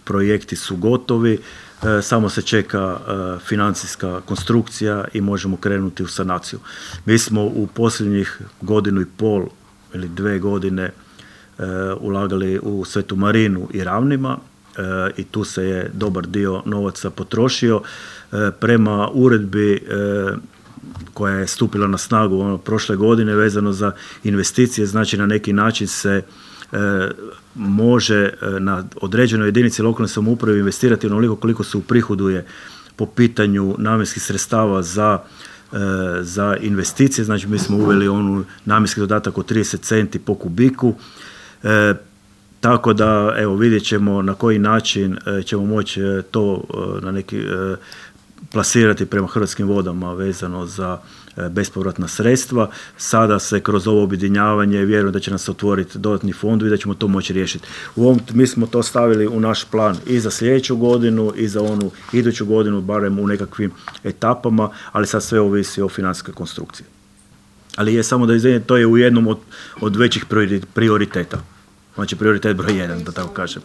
projekti su gotovi, samo se čeka financijska konstrukcija i možemo krenuti u sanaciju. Mi smo u posljednjih 1,5 ili 2 godine ulagali u Svetu Marinu i Ravnima i tu se je dobar dio novaca potrošio. Prema uredbi koja je stupila na snagu prošle godine vezano za investicije, znači na neki način se može na određenoj jedinici lokalne samouprave investirati onoliko koliko se uprihoduje po pitanju namjenskih sredstava za investicije. Znači mi smo uveli namjenski dodatak od 30 centi po kubiku. Tako da, evo, vidjet ćemo na koji način ćemo moći to na neki plasirati prema Hrvatskim vodama vezano za bespovratna sredstva. Sada se kroz ovo objedinjavanje vjerujem da će nas otvoriti dodatni fondovi i da ćemo to moći riješiti. Mi smo to stavili u naš plan i za sljedeću godinu i za onu iduću godinu, barem u nekakvim etapama, ali sad sve ovisi o financijskoj konstrukciji. Ali je samo da izvijem, to je u jednom od većih prioriteta. Znači prioritet broj 1, da tako kažem.